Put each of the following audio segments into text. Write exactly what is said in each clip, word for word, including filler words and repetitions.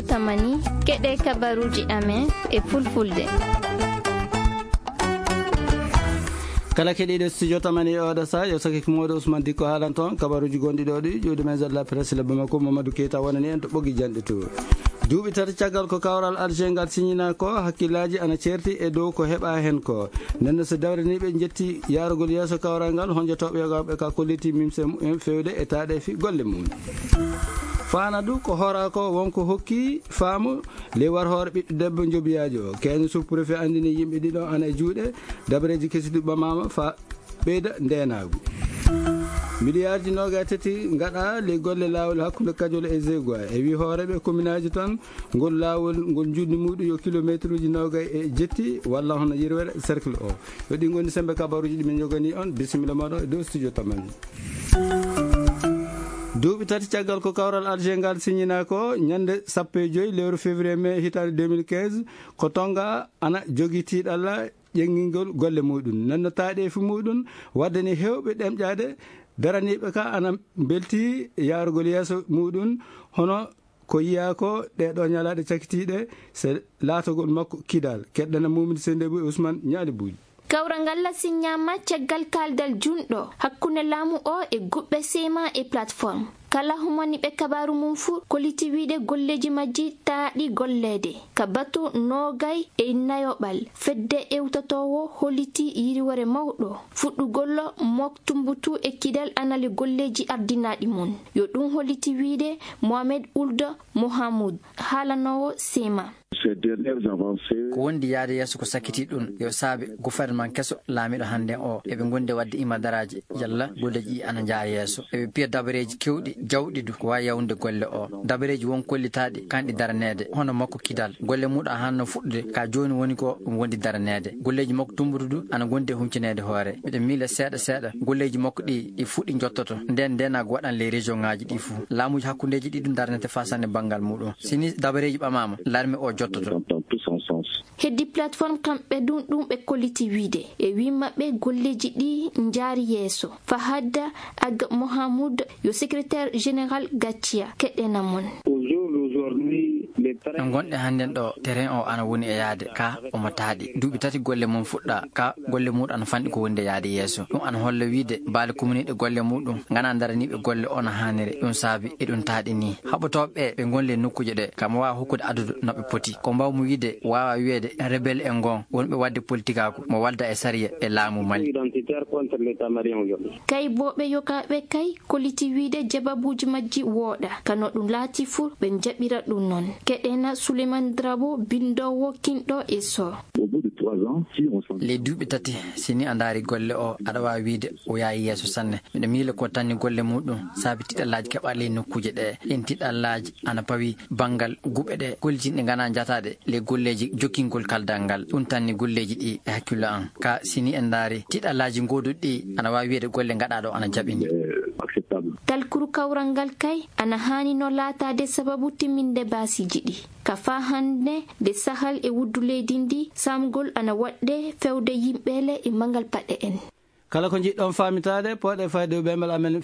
Tamani, keɗe kabaruji amen e fulfulde. Kala keɗiiɗo studio Tamani e oɗo sa, yo sakki ko Mawɗo Ousmane Dikko haalan toon. Kabaruji gonɗi ɗo ɗi, ƴuwdi men Zalla Presse le Bamako, Mamadou Keita wonani en to ɓoggi janɗe to. Duuɓi tati caggal ko kawral Alger ngal signina ko, hakkillaaji ana ceerti e dow ko heɓa heen ko. Nden so dawraniiɓe njetti yaarugol yeeso kawral ngal, honjotooɓe yogaaɓe ka kolliti mimse mumen feewde e taaɗeefi golle mum. Faanadu ko hoora ko wonko hokki faamu ley war hoore ɓiɗɗo debbo njobiyaajo o. Keene sous-préfet anndini yimɓe ɗiɗo ana e juuɗe, dabareeji kesi ɗi ɓamaama fa ɓeyda ndeenaagu. Miliyaarji noogay tati ngaɗa ley golle laawol hakkunde Kajol e Zegoa. E wi hooreeɓe kominaaji tan, ngol laawol ngol njuɗni muuɗum yo kilomeetruuji noogay e jetti walla hono yirwere cercle o. Yo ɗi ngoni sembe kabaruuji ɗi min njoganii on. Bisimilla mooɗon e dow studio Tamani. Duuɓi tati caggal ko kawral Alger ngal signina ko ñande sappo e joy lewru février mai hitaande deux mille quinze, ko Tonga ana jogii tiiɗalla ƴeŋngingol golle muɗum. Nanno taɗeefi muɗum waddani heewɓe ɗemƴaade daraniiɓe ka ana mbelti yaarugol yeeso muɗum, hono ko yiyaa ko ɗee ɗoo ñalaaɗe cakitiiɗe se laatogol makko Kidal. Keɗɗana Mumini Sendebu e Ousmane Ñaali Buuji. Kawral ngal la siññaama caggal kaaldal junɗo hakkunde laamu o e guɓɓe sema e plateforme. Kala humani ɓe kabaaru mum fuu, kolliti wiide golleeji majji taaɗi golleede. Ka batu noogay e nayoɓal, fedde ewtotoowo holliti yiriwore mawɗo. Fuɗɗugol mok tumbutu e Kidal anali golleeji ardinaaɗi mum. Yo ɗum holliti wiide Mohamed Ould Mohamoud, haalanoowo sema. Ces dernières avancées. Ko wondi yaade yeeso ko sakkiti ɗum yo saabe gouvernement keso laamiɗo hannde o. Eɓe ngondi wadde imadaraaji yalla golleeji ɗi ana njaha yeeso. Eɓe piya dabareeji kewɗi jawɗi du ko waawi yawnude golle o. Dabareeji won kollitaaɗi kanɗi daraneede hono makko Kidal. Golle muɗum hanno fuɗɗude ka jooni woni ko ɗum wondi daraneede. Golleeji makko tumbutu du ana gondi e huncineede hoore. Miɗo miila seeɗa seeɗa golleeji makko ɗi ɗi fuɗɗi jottoto. Nden ndenago waɗan ley région ŋaaji ɗi fuu. Laamuuji hakkundeeji ɗi ɗum daranete faa sanne banngal muɗum. Si ni dabareeji ɓamaama, larme o jottoto. Heddi plateforme kamɓe ɗum ɗum ɓe kolliti wiide. E wii maɓɓe golleeji ɗi njaari yeeso. Fahad Ag Mohamoud yo secrétaire général Gaccia keɗɗena mon. No ngonɗe hannden ɗo, terrain o ana woni e yaade, ka omo taaɗi. Duuɓi tati golle mum fuɗɗa, ka golle muɗum ana fanɗi ko wonde yaade yeeso. Ɗum ana holla wiide baale kuminiiɗe golle muɗum, ngana daraniiɓe golle o no haaniri. Ɗum saabi e ɗum taaɗi ni. Haɓotooɓe ɓe, ɓe ngon ley nokkuuje ɗe, ka mo waawa hokkude adadu no ɓe poti. Ko mbawmi wiide, waawa wiyeede rebelle en ngon, wonɓe waɗde politikaaku, mo walda e sariya e laamu Mali. Kay booɓe yogaaɓe kay, kolliti wiide jababuuji majji wooɗa, ka no ɗum laati fuu, ɓe njaɓira ɗum noon. Keɗena Souleymane Drabo, binndoowo kinɗo e so. Ley duuɓi tati, si ni a ndaari golle o, aɗa waawi wiide o yaayi yeeso sanne. Miɗo miila ko tanni golle muɗum, saabi tiɗallaaji keɓa ley nokkuuje ɗe. Ɗin tiɗallaaji ana pawi banngal guɓe ɗe, gollitinɗe ngana njataaɗe ley golleeji jokkingol kaldal ngal. Ɗum tanni golleeji ɗi e hakkillo an. Ka si ni en ndaari, tiɗallaaji gooduɗi ɗi ana waawi wiyeede golle ngaɗaaɗo ana jaɓini. Talkuru kawral ngal kay ana haani no laataade sababu timminde baasiiji ɗi. Ka faa hannde nde sahal e wuddu leydi ndi, saamgol ana waɗde fewde yimɓeele e manngal paɗe en. Kala ko njiɗɗon faamitaade, pooɗe fayde e ɓeyngal amen,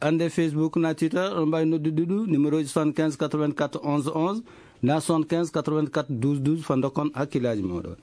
annde Facebook na Twitter, on mbaawi noddude ɗum, numéro ji soixante-quinze quatre-vingt-quatre onze onze, na soixante-quinze quatre-vingt-quatre douze douze, fa ndokkon hakkillaaji mooɗon.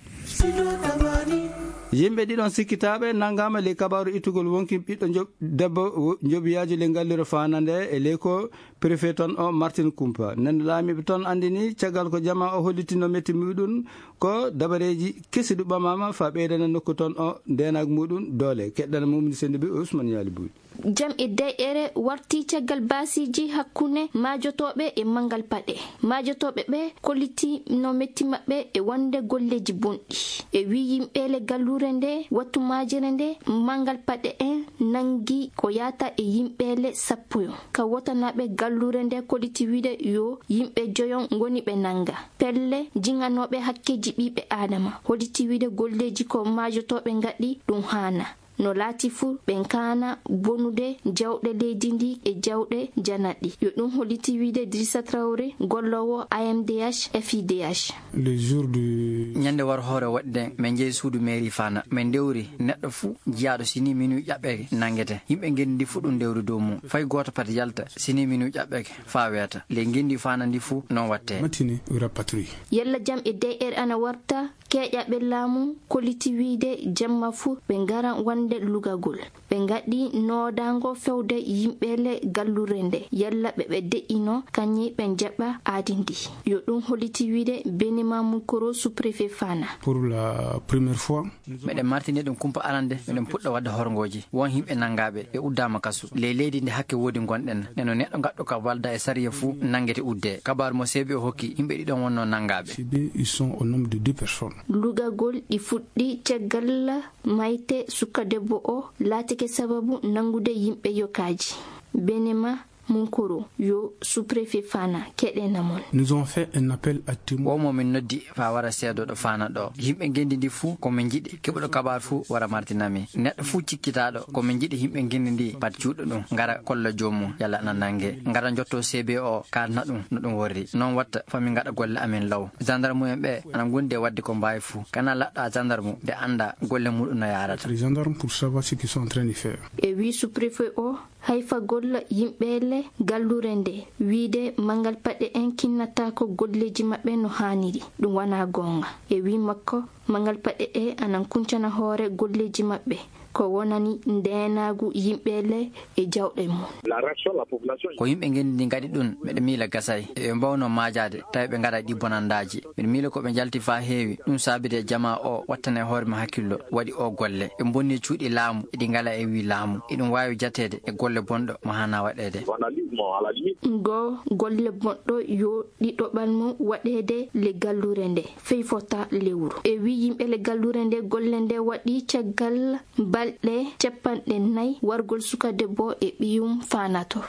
Yimɓe ɗiɗon sikkitaaɓe nanngaama ley kabaaru ittugol wonki ɓiɗɗo njoɓ-, debbo wo-, njobiyaajo ley ngallure Faana nde e ley ko préfet toon o Martin Kumpa. Nden laamiiɓe toon anndini caggal ko jamaa o hollitino metti muɗum ko dabareeji kesi ɗi ɓamaama fa ɓeydana nokku toon o ndeenaagu muɗum doole. Keɗɗana Mumni Sendibi e Ousmane Yaali Buy. Jam e dayɗere warti caggal baasiiji hakkunde maajotooɓe e manngal paɗe. Maajotooɓe ɓe kolliti no metti maɓɓe e wonde golleeji bonɗi. E wii yimɓeele galluure nde, wattu maajere nde, manngal paɗe en nanngi ko yaata e yimɓeele sappo yo. Ka wotanaaɓe galluure nde kolliti wiide yo yimɓe joyon ngoni ɓe nannga. Pelle jinganooɓe hakkeeji ɓiɓɓe Aadama. Holliti wiide golleeji ko maajotooɓe ngaɗi ɗum haana. No laati fuu, ɓen kaana bonude jawɗe leydi ndii e jawɗe janat ɗi. Yo ɗum holliti wiide Idrissa Traoré, golloowo A M D H, F I D H. Le jour du Ñande war hoore waɗde, min njehi suudu mairie Fana. Min ndewri, neɗɗo fuu jiyaaɗo, si ni minuit ƴaɓɓeke nanngete. Yimɓe ngenndi fuu ɗum ndewri dow mum. Fay gooto pati yalta, si ni minuit ƴaɓɓeke, faa weeta. Ley ngenndi Fana ndi fuu, non watte. Matinée, on rapatrie. Yalla jam e D R ana warta? Keeƴaɓe laamu kolliti wiide jamma fuu ɓe ngara wonde lugagol. Ɓe ngaɗi noodaango fewde yimɓe le gallure nde, yalla ɓe ɓe de'ino kañe ɓe jaɓa aadi ndi. Yo ɗum holliti wiide Benima Munkoro, sous-préfet Fana. Pour la première fois, meɗen martini ɗum kumpa arande, meɗen puɗɗa waɗde horngooji. Won yimɓe nanngaaɓe, ɓe uddaama kasu. Ley leydi ndi hakke woodi ngonɗen. Neno neɗɗo gaɗɗo ka walda e sariya fuu nanngete udde. Kabaaru mo C B O hokki, yimɓe ɗiɗon wonno nanngaaɓe. C B, ils sont au nombre de deux personnes. Lugagol ɗi fuɗɗi caggal mayte suka debbo o laatike sababu nanngude yimɓe yokaaji. Benema Munkoro, yo sous-préfet Fana, keɗena mon. Nous avons fait un appel à témoins. Wo mo min noddi faa wara seedooɗo Fana ɗo. Yimɓe ngenndi ndi fuu, ko min njiɗi keɓuɗo kabaaru fuu wara martina mi. Neɗɗo fuu cikkitaaɗo, ko min njiɗi yimɓe ngenndi ndi pat juuɗo ɗum, ngara kolla joomum, yalla ana nannge. Ngara njotto C B O, kaalna ɗum no ɗum worri. Non watta faa min ngaɗa golle amen law. Gendarme en ɓe ana ngondi e waɗde ko mbaawi fuu. Kana laɗɗa gendarme nde annda golle muɗum no yaarata. Les gendarmes pour savoir ce qu'ils sont en train de faire. E wi sous-préfet o, hayfagol yimɓe le gallure nde, wiide manngal paɗe en kinnataako golleeji maɓɓe no haaniri. Ɗum wonaa goonga. E wi makko, manngal paɗe ɗe anan kuncana hoore golleeji maɓɓe. Ko wonani ndeenaagu yimɓe le e jawɗe mum. La réaction de la population. Ko yimɓe ngenndi ndi ngaɗi ɗum, meɗe miila gasay. Eɓe mbawno maajaade, tawi ɓe ngaɗa ɗi bonandaaji. Miɗo miila ko ɓe njalti faa heewi, ɗum saabide jamaa o wattane hoore mum hakkillo, waɗi o golle. Ɓe mbonni cuuɗi laamu, eɗi ngala e wi laamu. Eɗum waawi jateede e golle bonɗo mo haana waɗeede. Vandalisme à la limite. Ngo golle bonɗo yo ɗiɗoɓal mum waɗeede le gallure nde, fey fota lewru. E wi yimɓe le gallure nde, golle nde waɗi caggal balɗe capanɗe nay wargol suka debbo e ɓiyum Fana to.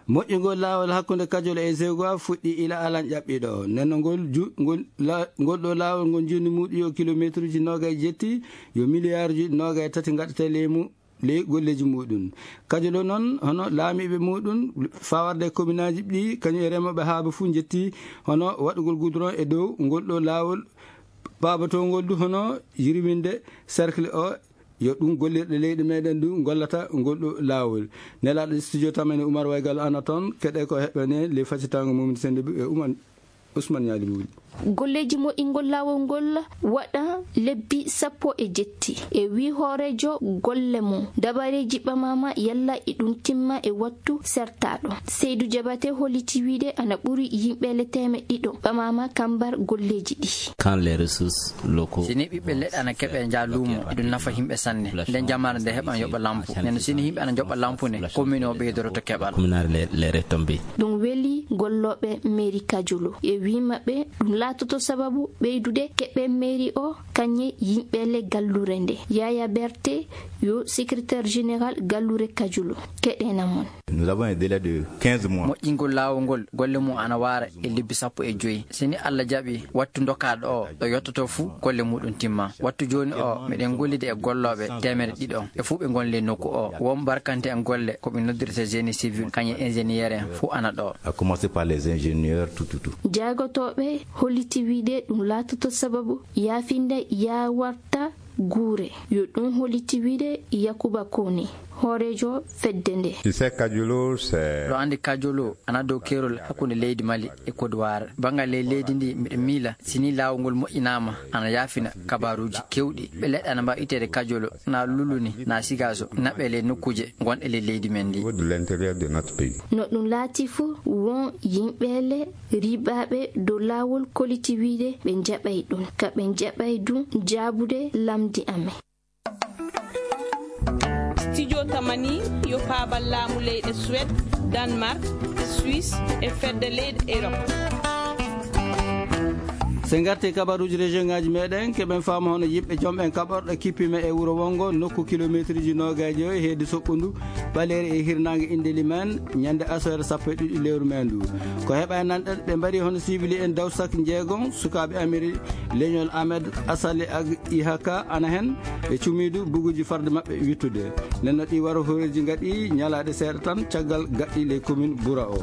Moƴƴungol laawol hakkunde Kajol e Zeugwa fuɗɗi ila alan ƴaɓɓiɗo. Nenno ngol ju-, ngol la-, ngol ɗo laawol ngol njundi muuɗum yo kilomeetruuji noogay jetti, yo miliyaarji noogay tati ngaɗata ley mu-, ley golleeji muuɗum. Kajol o noon, hono laamiiɓe muuɗum, fawarde e kominaaji ɗi, kañum e remooɓe haaba fuu njetti, hono waɗugol goudron e dow ngol ɗo laawol, paabatoo ngol du hono yirwinde cercle o, yo ɗum gollirɗe leyɗe meɗen du gollata ngol ɗo laawol. Nelaaɗo studio tamani Oumar Waygal ana toon, keɗe ko heɓɓene le facitaango mum sende e Oumar Ousmane Ñaali Buuli. Golleeji moƴƴingol laawol ngol waɗa lebbi sappo e jetti. E wi hooreejo golle mum, dabareeji ɓamaama yalla e ɗum timma e wattu sertaaɗo. Seydou Diabaté holliti wiide ana ɓuri yimɓe le teemeɗɗe ɗiɗo ɓamaama kambar golleeji ɗi. Quand les ressources locaux. Si ni ɓiɓɓe leɗɗe ana keɓe nja luumo, eɗum nafa yimɓe sanne. Nden jamaare nde heɓan yoɓa lampu. Nden si ni yimɓe ana njoɓa lampu ne, commune o ɓeydoroto keɓal. Communal les, les retombées. Ɗum weli gollooɓe mairie Kajolo. E wi maɓɓe, ɗum laatoto sababu ɓeydude keɓe mairie o, kañe yimɓe le gallure nde. Yaya Berté, yo secrétaire général gallure Kajolo. Keɗena mon. Nous avons un délai de quinze mois. Moƴƴingol laawol ngol, golle mum ana waara e lebbi sappo e joy. Si ni Allah jaɓi, wattu ndokaaɗo o, ɗo yottoto fuu, golle muɗum timma. Wattu jooni o, meɗen gollida e gollooɓe teemere ɗiɗo. Ɓe fuu ɓe ngoni ley nokku o. Won barkante en golle, ko ɓe noddirta génie civil, kañum e ingénieur en, fuu ana ɗo. À commencer par les ingénieurs, tout, tout, tout. Jaagotooɓe holliti wiide ɗum laatoto sababu yaafinde yaawarta guure. Yo ɗum holliti wiide Yakuba Kone, hooreejo fedde nde. Tu sais, Kajolo, c'est. Ɗo anndi Kajolo ana dow keerol hakkunde leydi Mali e Côte d'Ivoire. Banngal ley leydi ndi, miɗo miila, si ni laawol ngol moƴƴinaama, ana yaafina kabaaruuji keewɗi. Ɓe leɗɗe ana mbaawi itteede Kajolo, na Luluni, na Sigaso, naɓe ley nokkuuje gonɗe ley leydi men ndi. Au niveau de l'intérieur de notre pays. No ɗum laati fuu, won yimɓe le riiɓaaɓe dow laawol koliti wiide ɓe njaɓay ɗum. Ka ɓe njaɓay ɗum jaabude lamndi amen. Studio Tamani yo paabal laamu leyɗe Suède, Danemark, Suisse e fedde leyɗe Europe. So en ngartii kabaruuji région ngaaji meɗen, keɓen faamu hono yimɓe joom en kaɓorɗe kippima e wuro wongo nokku kilomeetruuji noogaaji e heedi soɓɓundu ɓaleeri e hirnaange Indeliman ñande asoore sappo e ɗiɗi lewru mee ndu. Ko heɓa e nanɗe ɓe mbaɗi hono sibili en dawsak njeegom sukaaɓe Amiri leñol Ahmed Asali ak Ihaka ana hen ɓe cumiidu buguuji farde maɓɓe wittude. Nden no ɗi waro horeeji ngaɗi ñalaaɗe seeɗa tan caggal gaɗɗi les communes bura o.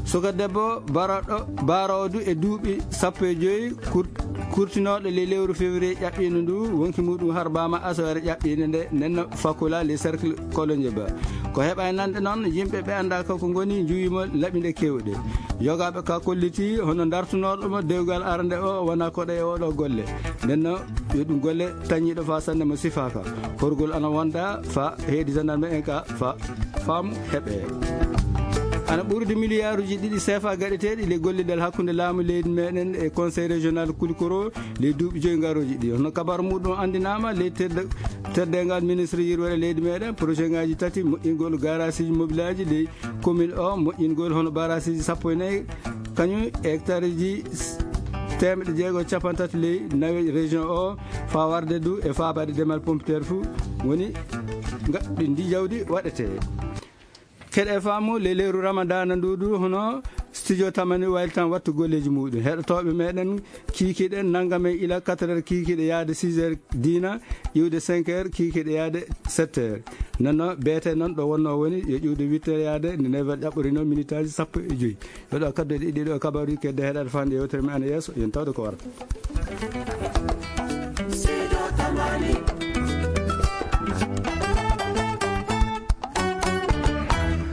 Suka debbo baraɗo, baroodu e duuɓi sappo e joyi kur-, kurtinooɗo le lewru février ƴaɓɓiino ndu, wonki muɗum harbaama asoore ƴaɓɓiinde nde, nden no Fakula le cercle Kolonje Ba. Ko heɓa e nanɗe noon, yimɓe ɓe anndaaka ko ngoni, njuwimo laɓi nde kewɗe. Yogaaɓe ka kolliti, hono dartunooɗo mo dewgal arande o, wona koɗo e oɗo golle. Nden no, yo ɗum golle tañiiɗo fa sannde mo sifaaka. Horgol ana wonda fa heedi gendarme en ka fa faamu heɓe. Ana ɓurdi miliyaaruuji ɗiɗi seefa gaɗeteeɗi le gollidal hakkunde laamu leydi meɗen e conseil régional Kulikoro le duuɓi joyi ngarooji ɗi. Hono kabar muɗum anndinaama le tedde-, teddengal ministre yirwere leydi meɗen, projet ngaji tati, moƴƴingol garasiiji mobilaaji le commune o, moƴƴingol hono barasiiji sappo e nayi, kañum hectareji s-, teemeɗe jeego e capanɗe tati ley nawe région o, fa warde du e faabaade demal pompiteer fu woni nga-, ndi jawdi waɗete. Keɗe faamu le leeru Ramadana ndu du hono studio Tamani waylitan wattu golleeji muɗum. Heɗotooɓe meɗen kiikiɗe nannga men ila quatre heures kiikiɗe yaade six heures diina, iwde cinq heures kiikiɗe yaade sept heures. Nonno beete noon ɗo wonno woni yo iwde huit heures yaade nde neuf heures ƴaɓɓorino minitaaji sappo e joyi. Yo ɗo kaddu e ɗiɗi ɗo kabaruji kedde heɗaade faande yewtere men ana yeeso, yen tawde ko warata.